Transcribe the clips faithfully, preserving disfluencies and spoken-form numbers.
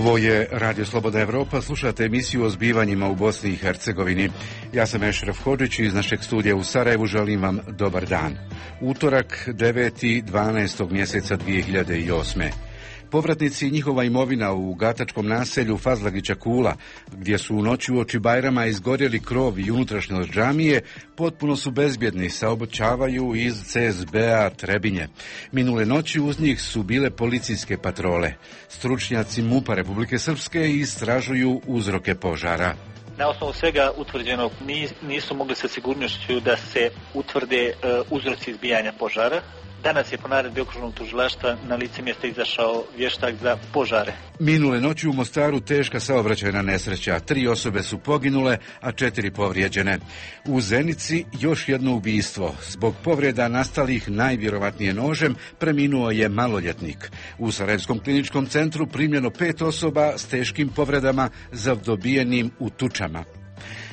Ovo je Radio Slobodna Evropa, slušate emisiju o zbivanjima u Bosni i Hercegovini. Ja sam Ešref Hodžić i iz našeg studija u Sarajevu želim vam dobar dan. Utorak, deveti dvanaestog mjeseca dvije hiljade osme. Povratnici i njihova imovina u gatačkom naselju Fazlagića Kula, gdje su u noći uoči Bajrama izgorjeli krov i unutrašnjost džamije, potpuno su bezbjedni, saobraćavaju iz C S B-a Trebinje. Minule noći uz njih su bile policijske patrole. Stručnjaci MUP-a Republike Srpske istražuju uzroke požara. Na osnovu svega utvrđenog nisu mogli sa sigurnošću da se utvrde uh, uzroci izbijanja požara. Danas je po naredbi okružnog tužilaštva na lice mjesta izašao vještak za požare. Minule noći u Mostaru teška saobraćajna nesreća. Tri osobe su poginule, a četiri povrijeđene. U Zenici još jedno ubistvo. Zbog povreda nastalih najvjerovatnije nožem preminuo je maloljetnik. U Sarajevskom kliničkom centru primljeno pet osoba s teškim povredama zadobijenim u tučama.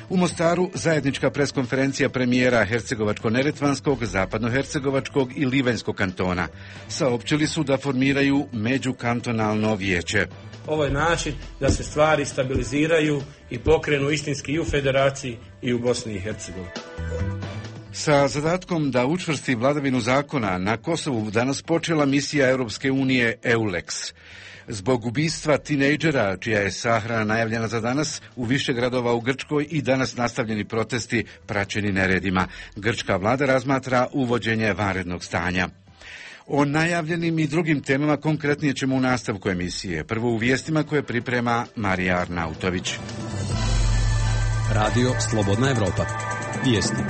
U Mostaru zajednička preskonferencija premijera Hercegovačko-neretvanskog, Zapadno-hercegovačkog i Livanjskog kantona. Saopćili su da formiraju međukantonalno vijeće. Ovo je način da se stvari stabiliziraju i pokrenu istinski i u Federaciji i u Bosni i Hercegovini. Sa zadatkom da učvrsti vladavinu zakona na Kosovu danas počela misija Europske unije EULEX. Zbog ubistva tinejdžera, čija je sahrana najavljena za danas, u više gradova u Grčkoj i danas nastavljeni protesti praćeni neredima. Grčka vlada razmatra uvođenje vanrednog stanja. O najavljenim i drugim temama konkretnije ćemo u nastavku emisije. Prvo u vijestima koje priprema Marija Arnautović. Radio Slobodna Evropa. Vijesti.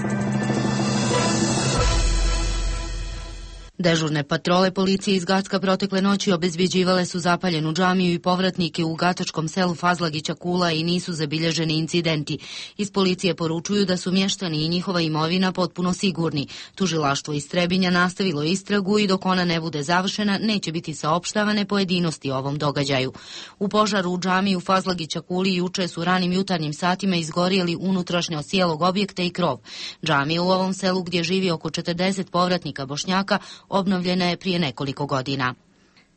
Dežurne patrole policije iz Gacka protekle noći obezbjeđivale su zapaljenu džamiju i povratnike u gatačkom selu Fazlagića Kula i nisu zabilježeni incidenti. Iz policije poručuju da su mještani i njihova imovina potpuno sigurni. Tužilaštvo iz Trebinja nastavilo istragu i dok ona ne bude završena neće biti saopštavane pojedinosti o ovom događaju. U požaru u džamiji u Fazlagića Kuli juče su ranim jutarnjim satima izgorjeli unutrašnjost cijelog objekta i krov. Džamija u ovom selu gdje živi oko četrdeset povratnika Bošnjaka obnovljena je prije nekoliko godina.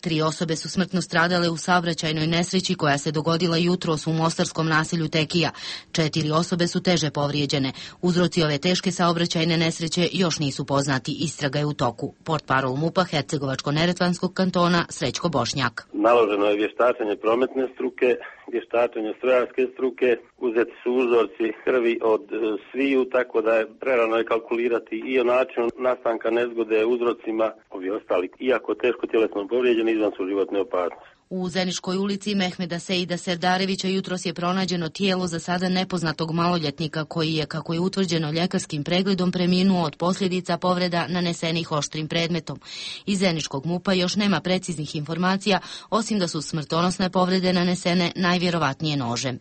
Tri osobe su smrtno stradale u saobraćajnoj nesreći koja se dogodila jutros u mostarskom naselju Tekija. Četiri osobe su teže povrijeđene. Uzroci ove teške saobraćajne nesreće još nisu poznati. Istraga je u toku. Portparol MUP-a Hercegovačko-neretvanskog kantona Srećko Bošnjak. Naloženo je vještačenje prometne struke, vještačenje strojarske struke, uzeti su uzorci krvi od e, sviju, tako da je prerano je kalkulirati i o načinu nastanka nezgode, uzrocima, ovi ostali, iako teško tjelesno povrijeđeni, izvan su životne opasnosti. U Zeniškoj ulici Mehmeda Seida Serdarevića jutros je pronađeno tijelo za sada nepoznatog maloljetnika koji je, kako je utvrđeno ljekarskim pregledom, preminuo od posljedica povreda nanesenih oštrim predmetom. Iz Zeniškog MUP-a još nema preciznih informacija, osim da su smrtonosne povrede nanesene najvjerovatnije nožem.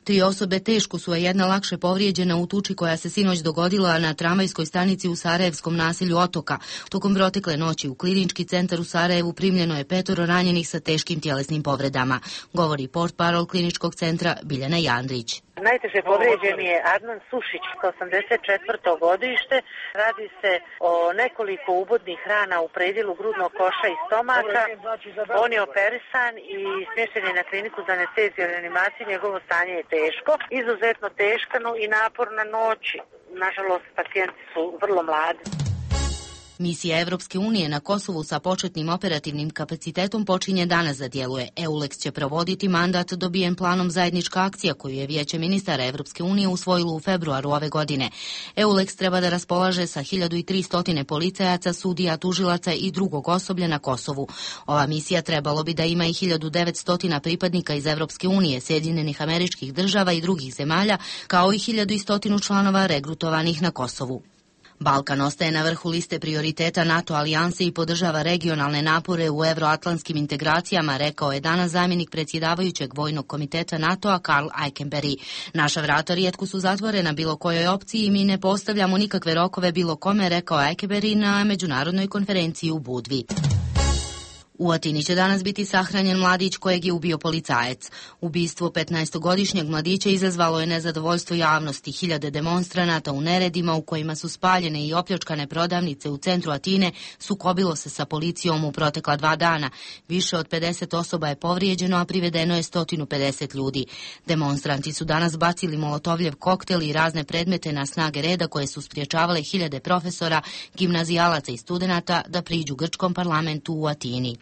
Tri osobe teško su, a jedna lakše povrijeđena u tuči koja se sinoć dogodila na tramvajskoj stanici u sarajevskom naselju Otoka. Tokom protekle noći u klinički centar u Sarajevu primljeno je petoro ranjenih sa teškim tjelesnim povredama, govori portparol kliničkog centra Biljana Jandrić. Najteže povrijeđen je Adnan Sušić, osamdeset četvrto godište. Radi se o nekoliko ubodnih rana u predjelu grudnog koša i stomaka. On je operisan i smješten je na kliniku za anesteziju i reanimaciju. Njegovo stanje je teško, izuzetno teško i naporna noć. Nažalost, pacijenti su vrlo mladi. Misija Evropske unije na Kosovu sa početnim operativnim kapacitetom počinje danas da djeluje. EULEX će provoditi mandat dobijen planom zajednička akcija koju je Vijeće ministara Evropske unije usvojilo u februaru ove godine. EULEX treba da raspolaže sa hiljadu tristo policajaca, sudija, tužilaca i drugog osoblja na Kosovu. Ova misija trebalo bi da ima i hiljadu devetsto pripadnika iz Evropske unije, Sjedinjenih Američkih Država i drugih zemalja, kao i hiljadu sto članova regrutovanih na Kosovu. Balkan ostaje na vrhu liste prioriteta NATO alijanse i podržava regionalne napore u evroatlantskim integracijama, rekao je danas zamjenik predsjedavajućeg vojnog komiteta NATO-a Karl Eikenberry. Naša vrata rijetko su zatvorena bilo kojoj opciji i mi ne postavljamo nikakve rokove bilo kome, rekao Eikenberry na međunarodnoj konferenciji u Budvi. U Atini će danas biti sahranjen mladić kojeg je ubio policajac. Ubistvo petnaestogodišnjeg mladića izazvalo je nezadovoljstvo javnosti. Hiljade demonstranata u neredima u kojima su spaljene i opljačkane prodavnice u centru Atine sukobilo se sa policijom u protekla dva dana. Više od pedeset osoba je povrijeđeno, a privedeno je sto pedeset ljudi. Demonstranti su danas bacili molotovljev koktel i razne predmete na snage reda koje su spriječavale hiljade profesora, gimnazijalaca i studenata da priđu grčkom parlamentu u Atini.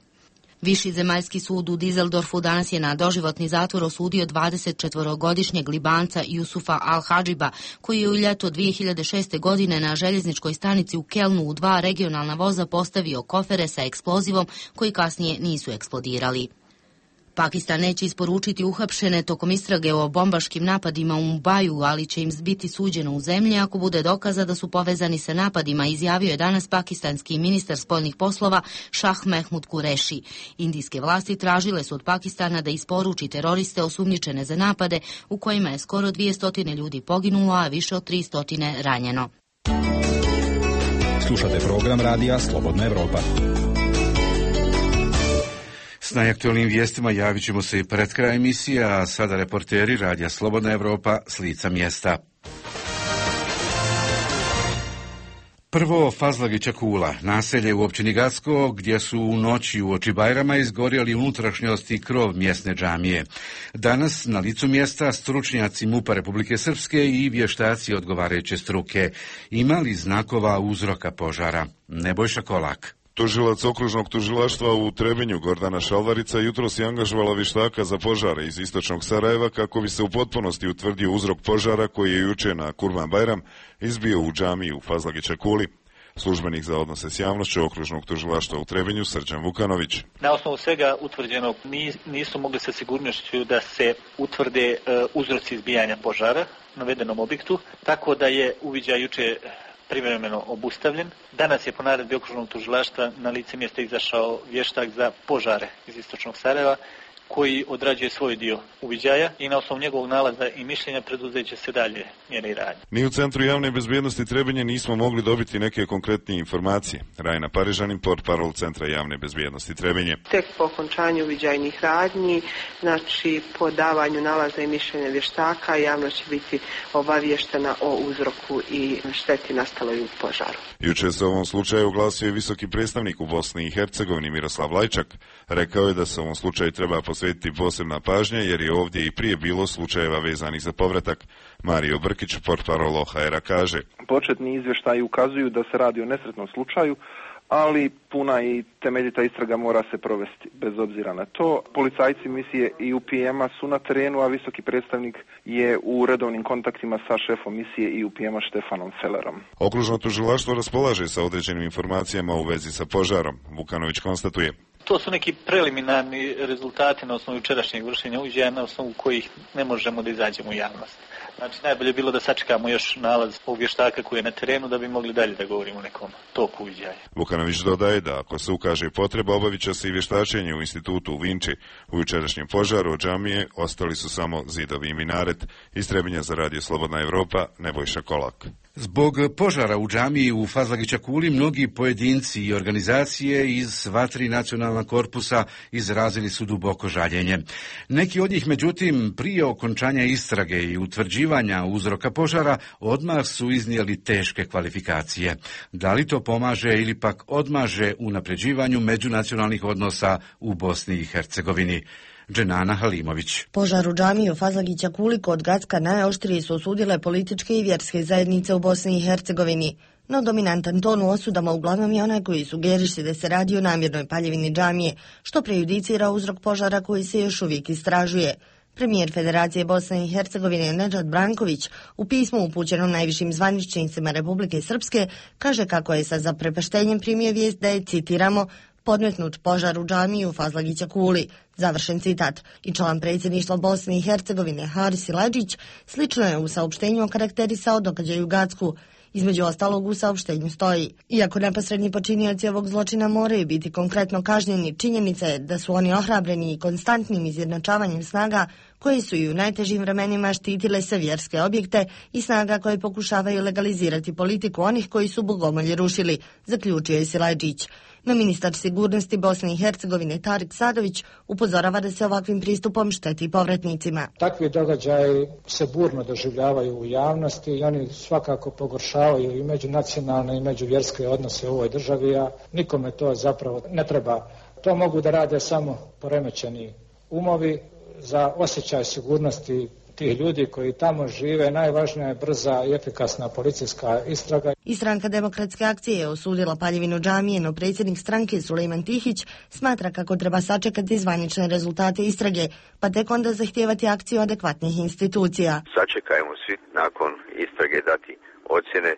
Viši zemaljski sud u Dizeldorfu danas je na doživotni zatvor osudio dvadesetčetvorogodišnjeg Libanca Jusufa Al-Hadžiba, koji je u ljeto dvije hiljade šeste. godine na željezničkoj stanici u Kelnu u dva regionalna voza postavio kofere sa eksplozivom koji kasnije nisu eksplodirali. Pakistan neće isporučiti uhapšene tokom istrage o bombaškim napadima u Mumbaju, ali će im biti suđeno u zemlji ako bude dokaza da su povezani sa napadima, izjavio je danas pakistanski ministar spoljnih poslova Shah Mehmud Qureshi. Indijske vlasti tražile su od Pakistana da isporuči teroriste osumnjičene za napade u kojima je skoro dvjesto ljudi poginulo, a više od tristo ranjeno. Slušate program radija Slobodna Evropa. S najaktualnim vijestima javit ćemo se i pred kraj emisije, a sada reporteri radija Slobodna Evropa s lica mjesta. Prvo, Fazlagića Kula, naselje u općini Gacko, gdje su u noći uoči Bajrama izgorjeli unutrašnjosti i krov mjesne džamije. Danas na licu mjesta stručnjaci MUP-a Republike Srpske i vještaci odgovarajuće struke. Ima li znakova uzroka požara? Nebojša Kolak. Tužilac okružnog tužilaštva u Trebinju Gordana Šalvarica jutros je angažovala vještaka za požare iz istočnog Sarajeva kako bi se u potpunosti utvrdio uzrok požara koji je juče na Kurban Bajram izbio u džamiji u Fazlagića Kuli. Službenik za odnose s javnošću okružnog tužilaštva u Trebinju Srđan Vukanović. Na osnovu svega utvrđenog nisu mogli sa sigurnošću da se utvrde uzroci izbijanja požara na navedenom objektu, tako da je uviđaj juče privremeno obustavljen. Danas je po naredbi okružnog tužilaštva na lice mjesta izašao vještak za požare iz istočnog Sarajeva, koji odrađuje svoj dio uviđaja i na osnovu njegovog nalaza i mišljenja preduzeće se dalje mjere i radnje. Ni u Centru javne bezbjednosti Trebinje nismo mogli dobiti neke konkretnije informacije. Rajna Parižanin, portparol Centra javne bezbjednosti Trebinje. Tek po okončanju uviđajnih radnji, znači po davanju nalaza i mišljenja vještaka, javnost će biti obavještena o uzroku i šteti nastaloj u požaru. Juče se o ovom slučaju oglasio i visoki predstavnik u Bosni i Hercegovini Miroslav Lajčak. Rekao je da se ovom slučaju treba posvetiti posebna pažnja jer je ovdje i prije bilo slučajeva vezanih za povratak. Mario Brkić, portparol O H R-a, kaže: Početni izvještaji ukazuju da se radi o nesretnom slučaju, ali puna i temeljita istraga mora se provesti bez obzira na to. Policajci misije I U P M-a su na terenu, a visoki predstavnik je u redovnim kontaktima sa šefom misije I U P M-a Štefanom Fellerom. Okružno tužilaštvo raspolaže sa određenim informacijama u vezi sa požarom. Vukanović konstatuje: To su neki preliminarni rezultati na osnovu jučerašnjeg vršenja uviđaja, na osnovu kojih ne možemo da izađemo u javnost. Znači, najbolje je bilo da sačekamo još nalaz ovog vještaka koji je na terenu da bi mogli dalje da govorimo o nekom toku uviđaja. Vukanović dodaje da ako se ukaže potreba, obavit će se i vještačenje u institutu u Vinči. U jučerašnjem požaru od džamije ostali su samo zidovi i minaret. Iz Trebinja za radio Slobodna Evropa, Nebojša Kolak. Zbog požara u džamiji u Fazlagića Kuli mnogi pojedinci i organizacije iz sva tri nacionalna korpusa izrazili su duboko žaljenje. Neki od njih, međutim, prije okončanja istrage i utvrđivanja uzroka požara odmah su iznijeli teške kvalifikacije. Da li to pomaže ili pak odmaže u unapređivanju međunacionalnih odnosa u Bosni i Hercegovini? Dženana Halimović. Požar u džamiji u Fazlagića Kuli kod Gacka najoštrije su osudile političke i vjerske zajednice u Bosni i Hercegovini. No dominantan ton u osudama uglavnom je onaj koji sugeriše da se radi o namjernoj paljevini džamije, što prejudicira uzrok požara koji se još uvijek istražuje. Premijer Federacije Bosne i Hercegovine Nedžad Branković u pismu upućenom najvišim zvaničnicima Republike Srpske kaže kako je sa zaprepaštenjem primio vijest da je, citiramo, podmetnut požar u džamiji u Fazlagića Kuli, završen citat. I član predsjedništva Bosne i Hercegovine Haris Siledžić slično je u saopštenju okarakterisao događaj u Gacku. Između ostalog u saopštenju stoji: iako neposredni počinioci ovog zločina moraju biti konkretno kažnjeni, činjenica je da su oni ohrabreni i konstantnim izjednačavanjem snaga koji su i u najtežim vremenima štitile sve vjerske objekte i snaga koje pokušavaju legalizirati politiku onih koji su bogomolje rušili, zaključio je Silajdžić. No ministar sigurnosti Bosne i Hercegovine Tarik Sadović upozorava da se ovakvim pristupom šteti povratnicima. Takvi događaji se burno doživljavaju u javnosti i oni svakako pogoršavaju i međunacionalne i međuvjerske odnose u ovoj državi, a nikome to zapravo ne treba. To mogu da rade samo poremećeni umovi. Za osjećaj sigurnosti tih ljudi koji tamo žive najvažnija je brza i efikasna policijska istraga. I stranka Demokratske akcije je osudila paljevinu džamije, no predsjednik stranke Sulejman Tihić smatra kako treba sačekati zvanične rezultate istrage, pa tek onda zahtijevati akciju adekvatnih institucija. Sačekajmo svi nakon istrage dati ocjene.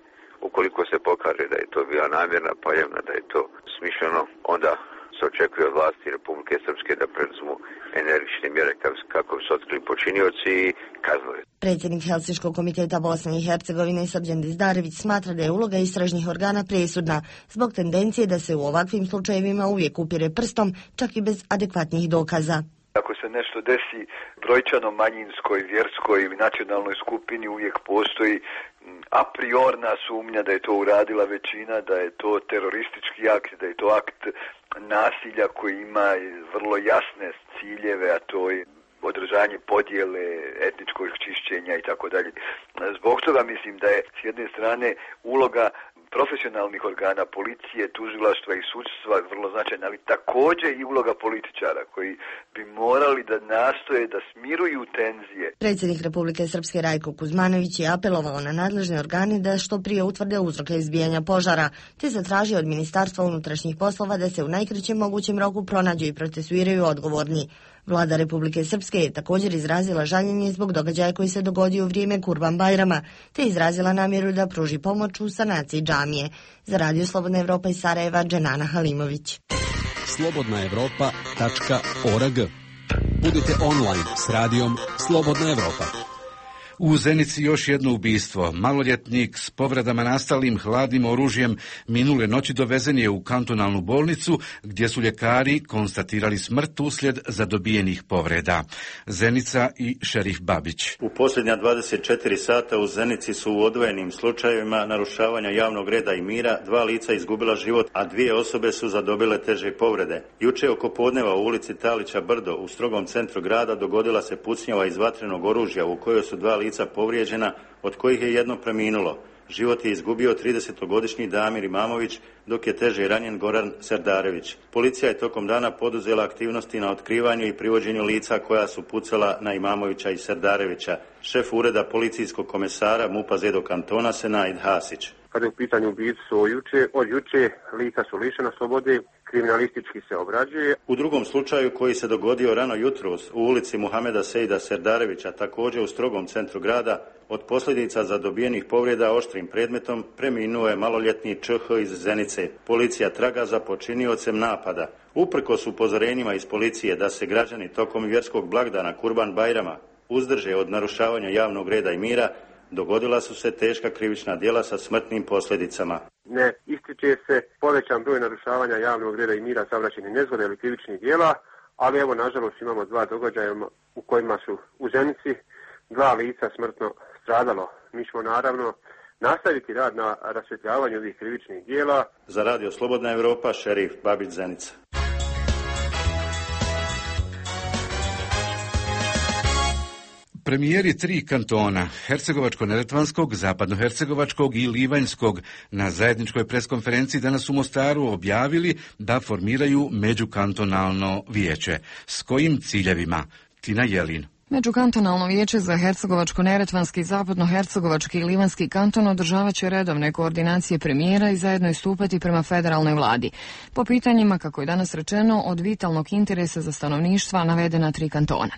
Ukoliko se pokaže da je to bila namjerna paljevna, da je to smišljeno, onda se očekuje od vlasti Republike Srpske da preduzmu energične mjere kako bi se otkrili počinioci i kaznili. Predsjednik Helsinškog komiteta Bosne i Hercegovine Srđan Dizdarević smatra da je uloga istražnih organa presudna zbog tendencije da se u ovakvim slučajevima uvijek upire prstom, čak i bez adekvatnih dokaza. Ako se nešto desi brojčano manjinskoj, vjerskoj ili nacionalnoj skupini, uvijek postoji a priorna sumnja da je to uradila većina, da je to teroristički akt, da je to akt nasilja koji ima vrlo jasne ciljeve, a to je održanje podjele, etničkog čišćenja i tako dalje. Zbog toga mislim da je s jedne strane uloga profesionalnih organa, policije, tužilaštva i sudstva vrlo značajna, ali također i uloga političara koji bi morali da nastoje da smiruju tenzije. Predsjednik Republike Srpske Rajko Kuzmanović je apelovao na nadležne organe da što prije utvrde uzroke izbijanja požara, te zatražio od Ministarstva unutrašnjih poslova da se u najkraćem mogućem roku pronađu i procesuiraju odgovorni. Vlada Republike Srpske je također izrazila žaljenje zbog događaja koji se dogodio u vrijeme Kurban Bajrama, te izrazila namjeru da pruži pomoć u sanaciji džamije. Za Radio Slobodna Evropa iz Sarajeva, Dženana Halimović. slobodna evropa tačka org. Budite online s radijom Slobodna Evropa. U Zenici još jedno ubistvo. Maloljetnik s povredama nastalim hladnim oružjem minule noći dovezen je u kantonalnu bolnicu gdje su ljekari konstatirali smrt uslijed zadobijenih povreda. Zenica i šerif Babić. U posljednja dvadeset četiri sata u Zenici su u odvojenim slučajevima narušavanja javnog reda i mira dva lica izgubila život, a dvije osobe su zadobile teže povrede. Juče oko podneva u ulici Talića Brdo u strogom centru grada dogodila se pucnjava iz vatrenog oružja u kojoj su dva lica povrijeđena, od kojih je jedno preminulo. Život je izgubio tridesetogodišnji Damir Imamović, dok je teže ranjen Goran Serdarević. Policija je tokom dana poduzela aktivnosti na otkrivanju i privođenju lica koja su pucala na Imamovića i Serdarevića. Šef ureda policijskog komesara MUP-a Zedo kantona Senaid Hasić. Kada je u pitanju ubistvo od juče, od juče lica su lišena slobode, kriminalistički se obrađuje. U drugom slučaju koji se dogodio rano jutros u ulici Muhameda Sejda Serdarevića, također u strogom centru grada, od posljedica zadobijenih povreda oštrim predmetom preminuo je maloljetni Č H iz Zenice. Policija traga za počiniocem napada. Uprkos upozorenjima iz policije da se građani tokom vjerskog blagdana Kurban Bajrama uzdrže od narušavanja javnog reda i mira, dogodila su se teška krivična djela sa smrtnim posljedicama. Ne ističe se povećan broj narušavanja javnog reda i mira, saobraćajnih nezgoda ili krivičnih djela, ali evo nažalost imamo dva događaja u kojima su u Zenici dva lica smrtno stradalo. Mi ćemo naravno nastaviti rad na rasvjetljavanju ovih krivičnih djela. Za Radio Slobodna Evropa, šerif Babić, Zenica. Premijeri tri kantona, Hercegovačko-neretvanskog, Zapadno-hercegovačkog i Livanjskog, na zajedničkoj preskonferenciji danas u Mostaru objavili da formiraju međukantonalno vijeće. S kojim ciljevima? Tina Jelin. Međukantonalno vijeće za Hercegovačko-neretvanski, Zapadno-hercegovački i Livanjski kanton održavat će redovne koordinacije premijera i zajedno istupati prema federalnoj vladi. Po pitanjima, kako je danas rečeno, od vitalnog interesa za stanovništva navedena tri kantona.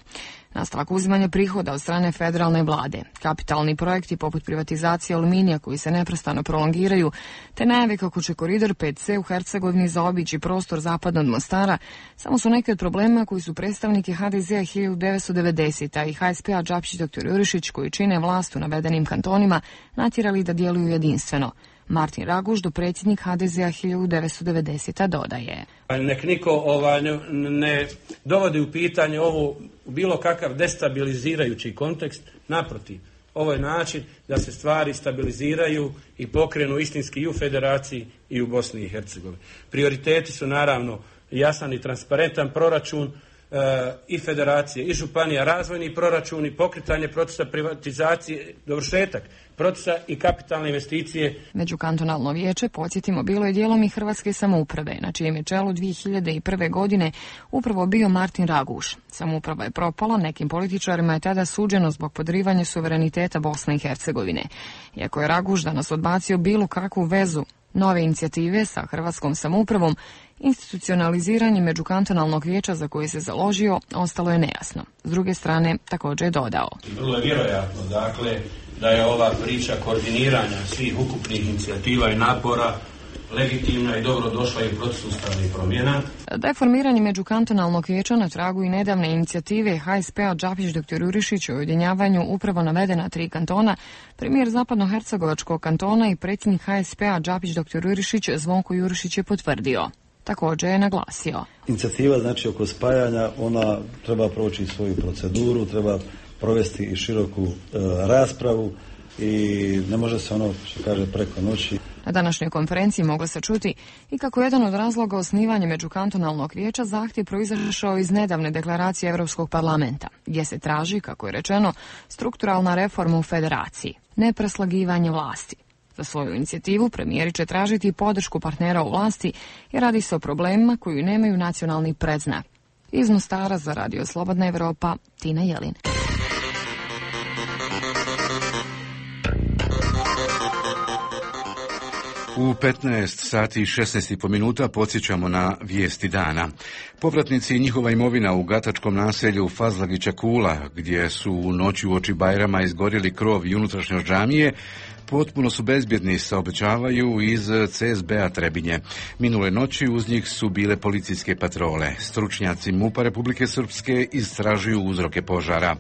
Nastavak uzimanja prihoda od strane federalne vlade, kapitalni projekti poput privatizacije aluminija koji se neprestano prolongiraju, te najave kako će koridor pet C u Hercegovini zaobići prostor zapadno od Mostara, samo su neki od problema koji su predstavnike H D Z-a hiljadu devetsto devedesete. i H S P-a Džapčić dr. Jurišić, koji čine vlast u navedenim kantonima, natjerali da djeluju jedinstveno. Martin Raguš, dopredsjednik ha de zea hiljadu devetsto devedesete. dodaje. Nek niko ovaj, ne, ne dovodi u pitanje ovo bilo kakav destabilizirajući kontekst, naprotiv. Ovo je način da se stvari stabiliziraju i pokrenu istinski i u Federaciji i u Bosni i Hercegovini. Prioriteti su naravno jasan i transparentan proračun e, i Federacije i Županija, razvojni proračun i pokretanje procesa privatizacije, dovršetak procesa i kapitalne investicije. Međukantonalno vijeće, podsjetimo, bilo je dijelom i Hrvatske samouprave, na čijem je čelu dvije hiljade prve. godine upravo bio Martin Raguš. Samouprava je propala, nekim političarima je tada suđeno zbog podrivanja suvereniteta Bosne i Hercegovine. Iako je Raguš danas odbacio bilo kakvu vezu nove inicijative sa hrvatskom samoupravom, institucionaliziranje međukantonalnog vijeća za koje se založio ostalo je nejasno. S druge strane, također je dodao. Vrlo je vjerojatno, dakle, da je ova priča koordiniranja svih ukupnih inicijativa i napora legitimna i dobro došla i u procesu ustavnih promjena. Da je formiranje međukantonalnog vijeća na tragu i nedavne inicijative ha es pe-a Đapić doktor Jurišić o ujedinjavanju upravo navedena tri kantona, premijer Zapadnohercegovačkog kantona i predsjednik ha es pe-a Đapić doktor Jurišić Zvonko Jurišić je potvrdio. Također je naglasio. Inicijativa znači oko spajanja, ona treba proći svoju proceduru, treba provesti i široku e, raspravu i ne može se ono što kaže preko noći. Na današnjoj konferenciji moglo se čuti i kako jedan od razloga osnivanja međukantonalnog vijeća zahtjev proizašao iz nedavne deklaracije Europskog parlamenta, gdje se traži, kako je rečeno, strukturalna reforma u federaciji, ne preslagivanje vlasti. Za svoju inicijativu premijeri će tražiti podršku partnera u vlasti jer radi se o problemima koji nemaju nacionalni predznak. Iz Mostara za Radio Slobodna Evropa, Tina Jelin. U petnaest sati i šesnaest i po minuta podsjećamo na vijesti dana. Povratnici i njihova imovina u gatačkom naselju Fazlagića Kula, gdje su u noći uoči Bajrama izgorjeli krov i unutrašnjost džamije, potpuno su bezbjedni, saobećavaju iz ce es be-a Trebinje. Minule noći uz njih su bile policijske patrole. Stručnjaci MUP-a Republike Srpske istražuju uzroke požara.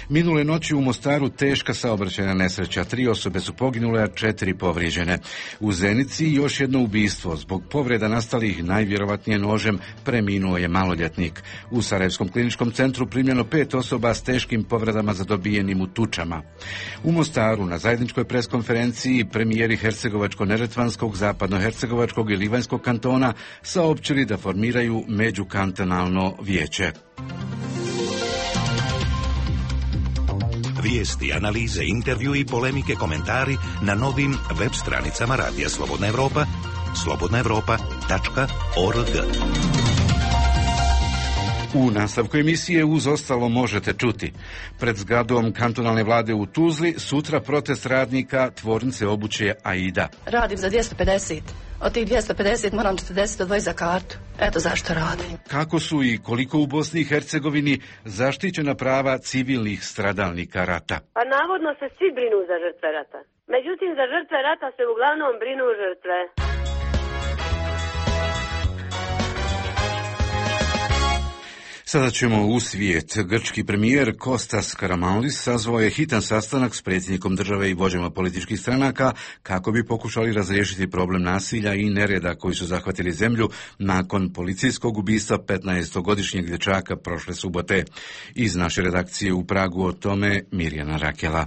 Minule noći u Mostaru teška saobraćajna nesreća. Tri osobe su poginule, a četiri povrijeđene. U Zenici još jedno ubistvo. Zbog povreda nastalih najvjerovatnije nožem preminuo je maloljetnik. U Sarajevskom kliničkom centru primljeno pet osoba s teškim povredama zadobijenim u tučama. U Mostaru na zajedničkoj preskonferenciji konferenciji premijeri Hercegovačko-Neretvanskog, Zapadno-Hercegovačkog i Livanjskog kantona saopćili da formiraju međukantonalno vijeće. Vijesti, analize, intervju i polemike, komentari na novim web stranicama Radija Slobodna Evropa, slobodna evropa tačka org. U nastavku emisije uz ostalo možete čuti. Pred zgradom kantonalne vlade u Tuzli sutra protest radnika tvornice obuće Aida. Radim za dvjesto pedeset. Od tih dvjesto pedeset moram četrdeset odvojiti za kartu. Eto zašto radim. Kako su i koliko u Bosni i Hercegovini zaštićena prava civilnih stradalnika rata? Pa navodno se svi brinu za žrtve rata. Međutim, za žrtve rata se uglavnom brinu žrtve. Sada ćemo u svijet. Grčki premijer Kostas Karamanlis sazvao je hitan sastanak s predsjednikom države i vođama političkih stranaka kako bi pokušali razriješiti problem nasilja i nereda koji su zahvatili zemlju nakon policijskog ubistva petnaestogodišnjeg dječaka prošle subote. Iz naše redakcije u Pragu o tome Mirjana Rakela.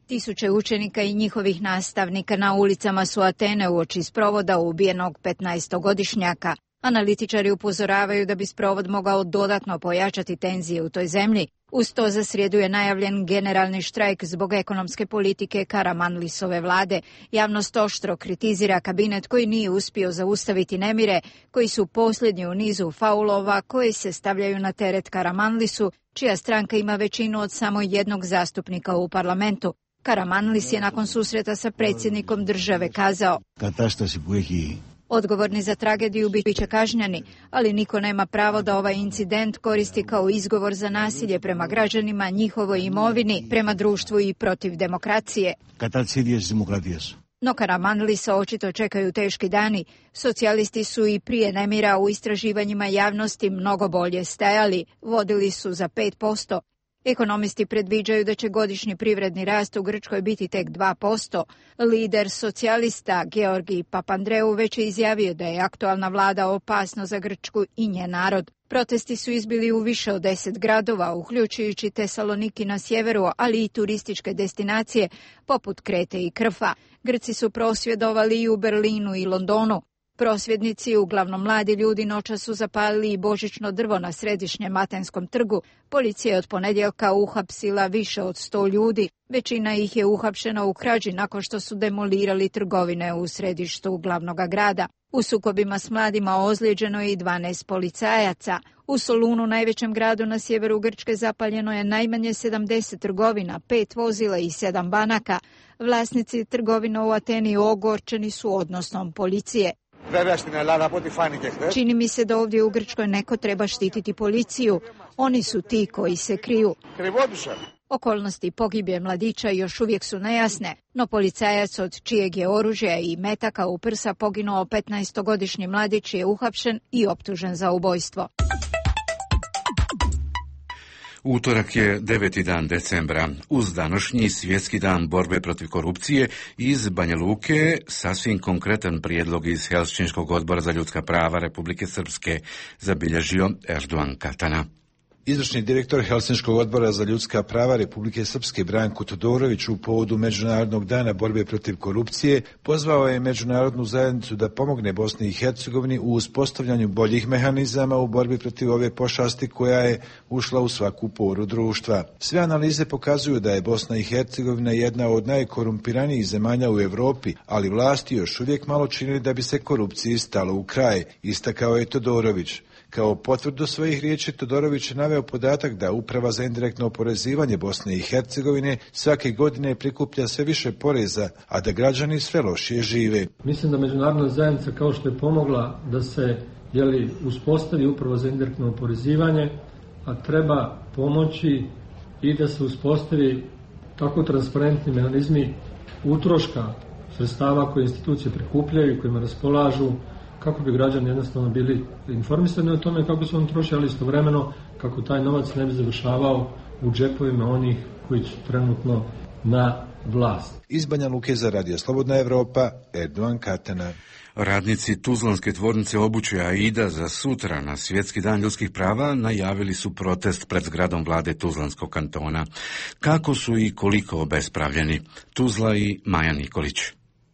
Tisuće učenika i njihovih nastavnika na ulicama su Atene uoči sprovoda ubijenog petnaestogodišnjaka. Analitičari upozoravaju da bi sprovod mogao dodatno pojačati tenzije u toj zemlji. Uz to za srijedu je najavljen generalni štrajk zbog ekonomske politike Karamanlisove vlade. Javnost oštro kritizira kabinet koji nije uspio zaustaviti nemire, koji su posljednji u nizu faulova koji se stavljaju na teret Karamanlisu, čija stranka ima većinu od samo jednog zastupnika u parlamentu. Karamanlis je nakon susreta sa predsjednikom države kazao: odgovorni za tragediju bit će kažnjeni, ali niko nema pravo da ovaj incident koristi kao izgovor za nasilje prema građanima, njihovoj imovini, prema društvu i protiv demokracije. No Karamanlisa očito čekaju teški dani. Socijalisti su i prije nemira u istraživanjima javnosti mnogo bolje stajali, vodili su za pet posto. Ekonomisti predviđaju da će godišnji privredni rast u Grčkoj biti tek dva posto. Lider socijalista Georgi Papandreou već je izjavio da je aktualna vlada opasno za Grčku i njen narod. Protesti su izbili u više od deset gradova, uključujući Tesaloniki na sjeveru, ali i turističke destinacije poput Krete i Krfa. Grci su prosvjedovali i u Berlinu i Londonu. Prosvjednici, uglavnom mladi ljudi, noćas su zapalili i božićno drvo na središnjem Atenskom trgu. Policija je od ponedjeljka uhapsila više od sto ljudi. Većina ih je uhapšena u krađi nakon što su demolirali trgovine u središtu glavnog grada. U sukobima s mladima ozlijeđeno je i dvanaest policajaca. U Solunu, najvećem gradu na sjeveru Grčke, zapaljeno je najmanje sedamdeset trgovina, pet vozila i sedam banaka. Vlasnici trgovina u Ateni ogorčeni su odnosom policije. Čini mi se da ovdje u Grčkoj neko treba štititi policiju. Oni su ti koji se kriju. Okolnosti pogibije mladića još uvijek su nejasne, no policajac od čijeg je oružja i metaka u prsa poginuo petnaestogodišnji mladić je uhapšen i optužen za ubojstvo. Utorak je deveti dan decembra. Uz današnji svjetski dan borbe protiv korupcije iz Banja Luke sasvim konkretan prijedlog iz Helsinškog odbora za ljudska prava Republike Srpske zabilježio Erdogan Katana. Izvršni direktor Helsinškog odbora za ljudska prava Republike Srpske Branko Todorović u povodu Međunarodnog dana borbe protiv korupcije pozvao je međunarodnu zajednicu da pomogne Bosni i Hercegovini u uspostavljanju boljih mehanizama u borbi protiv ove pošasti koja je ušla u svaku poru društva. Sve analize pokazuju da je Bosna i Hercegovina jedna od najkorumpiranijih zemalja u Europi, ali vlasti još uvijek malo čini da bi se korupciji stalo u kraj, istakao je Todorović. Kao potvrdu svojih riječi Todorović je naveo podatak da Uprava za indirektno oporezivanje Bosne i Hercegovine svake godine prikuplja sve više poreza, a da građani sve lošije žive. Mislim da međunarodna zajednica, kao što je pomogla da se jeli, uspostavi Uprava za indirektno oporezivanje, a treba pomoći i da se uspostavi tako transparentni mehanizmi utroška sredstava koje institucije prikupljaju i kojima raspolažu, kako bi građani jednostavno bili informisani o tome kako se on troši, ali istovremeno kako taj novac ne bi završavao u džepovima onih koji su trenutno na vlast. Iz Banja Luke za Radio Slobodna Evropa, Erdogan Katana. Radnici tuzlanske tvornice obuće Aida za sutra na Svjetski dan ljudskih prava najavili su protest pred zgradom vlade Tuzlanskog kantona. Kako su i koliko obespravljeni? Tuzla i Maja Nikolić.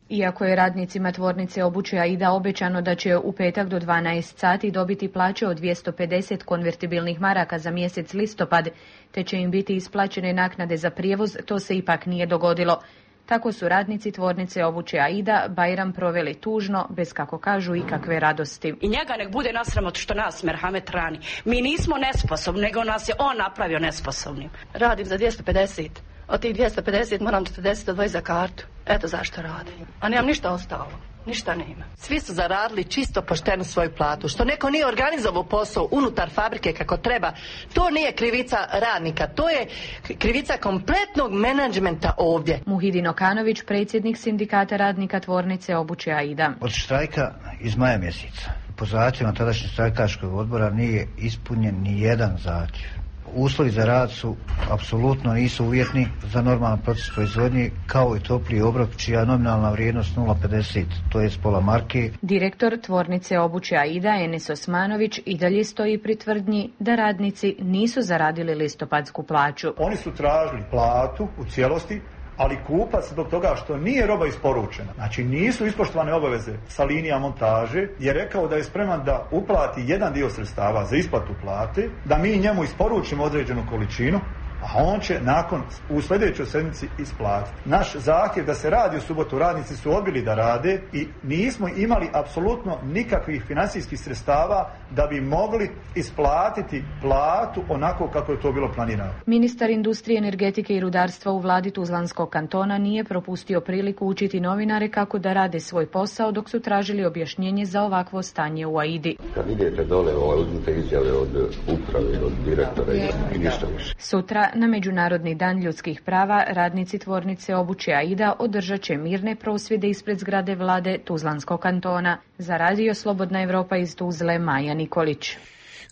Iako je radnicima tvornice obuće Aida obećano da će u petak do dvanaest sati dobiti plaće od dvjesto pedeset konvertibilnih maraka za mjesec listopad, te će im biti isplaćene naknade za prijevoz, to se ipak nije dogodilo. Tako su radnici tvornice obuće Aida Bajram proveli tužno, bez, kako kažu, ikakve radosti. I njega nek bude nasramot što nas merhamet rani. Mi nismo nesposobni, nego nas je on napravio nesposobnim. Radim za dvjesto pedeset. Od tih dvjesto pedeset moram četrdeset odvojiti za kartu. Eto zašto radim. A nemam ništa ostalo. Ništa nema. Svi su zaradili čisto poštenu svoju platu. Što neko nije organizovao posao unutar fabrike kako treba, to nije krivica radnika. To je krivica kompletnog menadžmenta ovdje. Muhidin Okanović, predsjednik sindikata radnika tvornice obuće Aida. Od štrajka iz maja mjeseca po zahtjevima tadašnjeg štrajkaškog odbora nije ispunjen ni jedan zahtjev. Uslovi za rad su apsolutno nisu uvjetni za normalan proces proizvodnje, kao i topli obrok čija nominalna vrijednost nula zarez pedeset, to je pola marke. Direktor tvornice obuće Aida Enes Osmanović i dalje stoji pri tvrdnji da radnici nisu zaradili listopadsku plaću. Oni su tražili platu u cijelosti, ali kupac zbog toga što nije roba isporučena, znači nisu ispoštovane obaveze sa linija montaže, je rekao da je spreman da uplati jedan dio sredstava za isplatu plate, da mi njemu isporučimo određenu količinu, a on će nakon u sljedećoj sedmici isplatiti. Naš zahtjev da se radi u subotu, radnici su odbili da rade i nismo imali apsolutno nikakvih financijskih sredstava da bi mogli isplatiti platu onako kako je to bilo planirano. Ministar industrije, energetike i rudarstva u vladi Tuzlanskog kantona nije propustio priliku učiti novinare kako da rade svoj posao dok su tražili objašnjenje za ovakvo stanje u Aidi. Kad idete dole, uzmite izjave od uprave, od direktora i ništa više. Sutra, na Međunarodni dan ljudskih prava, radnici tvornice obuće Aida održat će mirne prosvjede ispred zgrade vlade Tuzlanskog kantona. Za Radio Slobodna Evropa iz Tuzle, Maja Nikolić.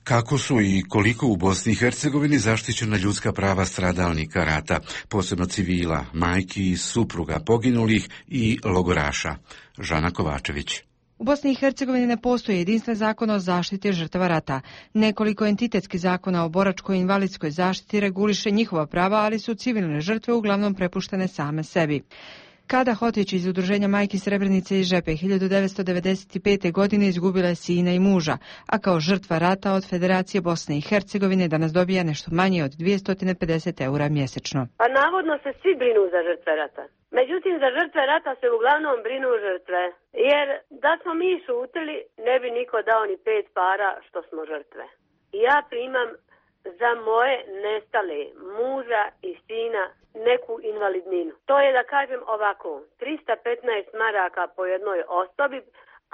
Kako su i koliko u Bosni i Hercegovini zaštićena ljudska prava stradalnika rata, posebno civila, majki, supruga poginulih i logoraša? Žana Kovačević. U Bosni i Hercegovini ne postoji jedinstven zakon o zaštiti žrtava rata. Nekoliko entitetskih zakona o boračkoj i invalidskoj zaštiti reguliše njihova prava, ali su civilne žrtve uglavnom prepuštene same sebi. Kada Hotić iz udruženja Majki Srebrenice iz Žepe hiljadu devetsto devedeset pete. godine izgubila je sina i muža, a kao žrtva rata od Federacije Bosne i Hercegovine danas dobija nešto manje od dvjesto pedeset eura mjesečno. Pa navodno se svi brinu za žrtve rata. Međutim, za žrtve rata se uglavnom brinu žrtve, jer da smo mi šutili, ne bi niko dao ni pet para što smo žrtve. Ja primam za moje nestale muža i sina neku invalidninu. To je, da kažem ovako, trista petnaest maraka po jednoj osobi,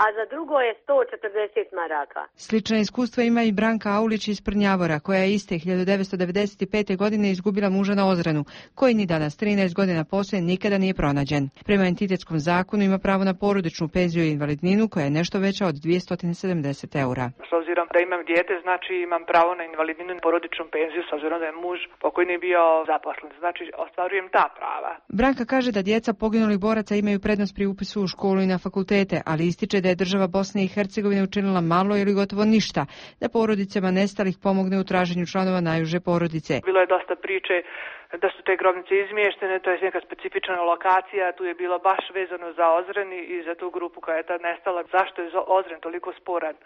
a za drugo je sto četrdeset maraka. Slična iskustva ima i Branka Aulić iz Prnjavora, koja je iste hiljadu devetsto devedeset pete. godine izgubila muža na Ozrenu, koji ni danas trinaest godina poslije nikada nije pronađen. Prema entitetskom zakonu ima pravo na porodičnu penziju i invalidninu, koja je nešto veća od dvjesto sedamdeset eura. S obzirom da imam dijete, znači imam pravo na invalidninu i porodičnu penziju, s obzirom da je muž pokojni bio zaposlen. Znači ostvarujem ta prava. Branka kaže da djeca poginulih boraca imaju prednost pri upisu u školu i na fakultete, ali ističe da je država Bosne i Hercegovine učinila malo ili gotovo ništa da porodicama nestalih pomogne u traženju članova najuže porodice. Bilo je dosta priče da su te grobnice izmještene, to je neka specifična lokacija, tu je bilo baš vezano za Ozren i za tu grupu koja je tad nestala. Zašto je Ozren toliko sporan?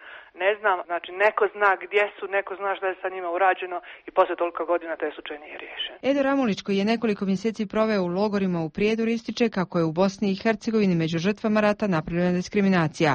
Ne znam, znači neko zna gdje su, neko zna šta je sa njima urađeno i posle toliko godina taj slučaj nije riješen. Edo Ramulić, koji je nekoliko mjeseci proveo u logorima u Prijedoru, ističe kako je u Bosni i Hercegovini među žrtvama rata napravljena diskriminacija.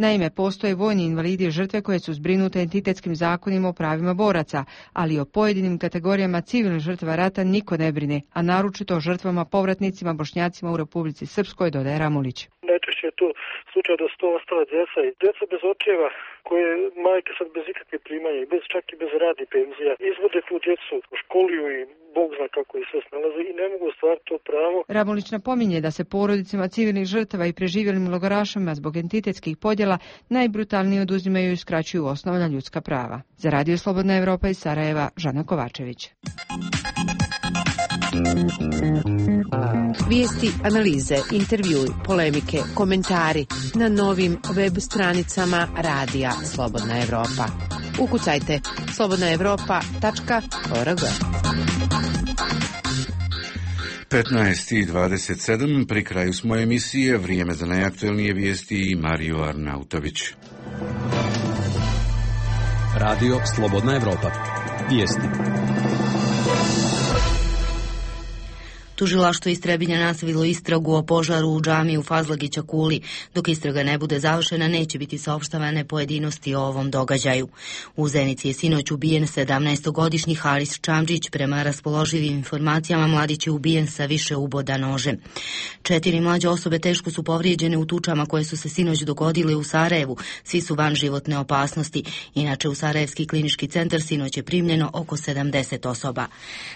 Naime, postoje vojni invalidi i žrtve koje su zbrinute entitetskim zakonima o pravima boraca, ali o pojedinim kategorijama civilnih žrtava rata niko ne brine, a naročito o žrtvama povratnicima Bošnjacima u Republici Srpskoj, dodaje Ramulić. Najčešće je to slučaj da su to ostale djeca i djeca bez očeva, koje majke sad bez ikakve primanja i bez, čak i bez radi penzija izvode tu djecu u školiju i Bog zna kako ih sve snalaze i ne mogu ostvariti to pravo. Ramulić napominje da se porodicama civilnih žrtava i preživjelim logorašama zbog entitetskih podjela najbrutalnije oduzimaju i skraćuju osnovna ljudska prava. Za Radio Slobodna Evropa iz Sarajeva, Žana Kovačević. Vijesti, analize, intervjui, polemike, komentari na novim web stranicama Radija Slobodna Evropa. Ukucajte slobodna evropa tačka org. petnaest i dvadeset sedam, pri kraju smo emisije, vrijeme za najaktuelnije vijesti i Mario Arnautović. Radio Slobodna Evropa. Vijesti. Tužilaštvo iz Trebinja nastavilo istragu o požaru u džamiji u Fazlagića Kuli. Dok istraga ne bude završena, neće biti saopštavane pojedinosti o ovom događaju. U Zenici je sinoć ubijen sedamnaestogodišnji Haris Čamđić. Prema raspoloživim informacijama, mladić je ubijen sa više uboda nožem. Četiri mlađe osobe teško su povrijeđene u tučama koje su se sinoć dogodile u Sarajevu. Svi su van životne opasnosti. Inače, u Sarajevski klinički centar sinoć je primljeno oko sedamdeset osoba.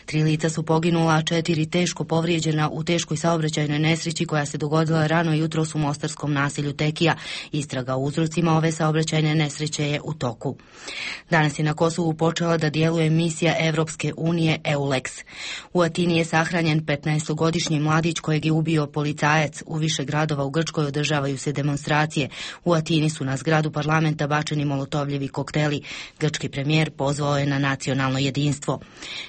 Tri lica su poginula, a četiri teško povrijeđena u teškoj saobraćajnoj nesreći koja se dogodila rano jutros u mostarskom naselju Tekija. Istraga o uzrocima ove saobraćajne nesreće je u toku. Danas je na Kosovu počela da djeluje misija Evropske unije EULEX. U Atini je sahranjen petnaestogodišnji mladić kojeg je ubio policajac. U više gradova u Grčkoj održavaju se demonstracije. U Atini su na zgradu parlamenta bačeni molotovljevi kokteli. Grčki premijer pozvao je na nacionalno jedinstvo.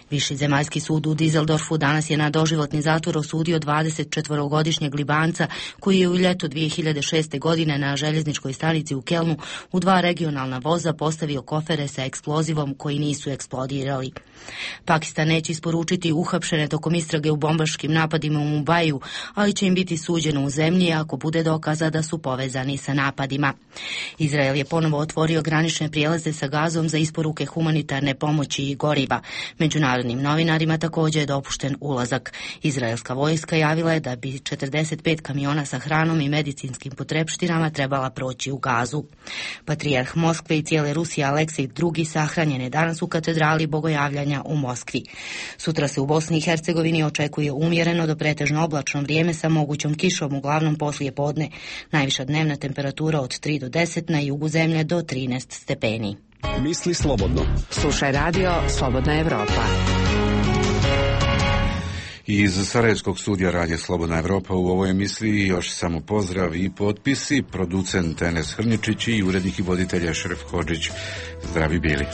Viši zemaljski sud u Dizeldorfu danas je na doživotni zatvor osudio dvadesetčetvorogodišnjeg Libanca koji je u ljeto dvije hiljade šeste. godine na željezničkoj stanici u Kelnu u dva regionalna voza postavio kofere sa eksplozivom koji nisu eksplodirali. Pakistan neće isporučiti uhapšene tokom istrage u bombaškim napadima u Mumbaju, ali će im biti suđeno u zemlji ako bude dokaza da su povezani sa napadima. Izrael je ponovo otvorio granične prijelaze sa Gazom za isporuke humanitarne pomoći i goriva. Međunarodnim novinarima također je dopušten ulazak. Izraelska vojska javila je da bi četrdeset pet kamiona sa hranom i medicinskim potrepštinama trebala proći u Gazu. Patrijarh Moskve i cijele Rusije Aleksej drugi sahranjen je danas u katedrali Bogojavljanja u Moskvi. Sutra se u Bosni i Hercegovini očekuje umjereno do pretežno oblačno vrijeme sa mogućom kišom, uglavnom poslije podne. Najviša dnevna temperatura od tri do deset, na jugu zemlje do trinaest stepeni. Misli slobodno. Slušaj radio Slobodna Evropa. Iz Sarajevskog studija Radija Slobodna Evropa u ovoj emisiji još samo pozdrav i potpisi, producent Enes Hrničić i urednik i voditelj Ešref Hodžić. Zdravi bili.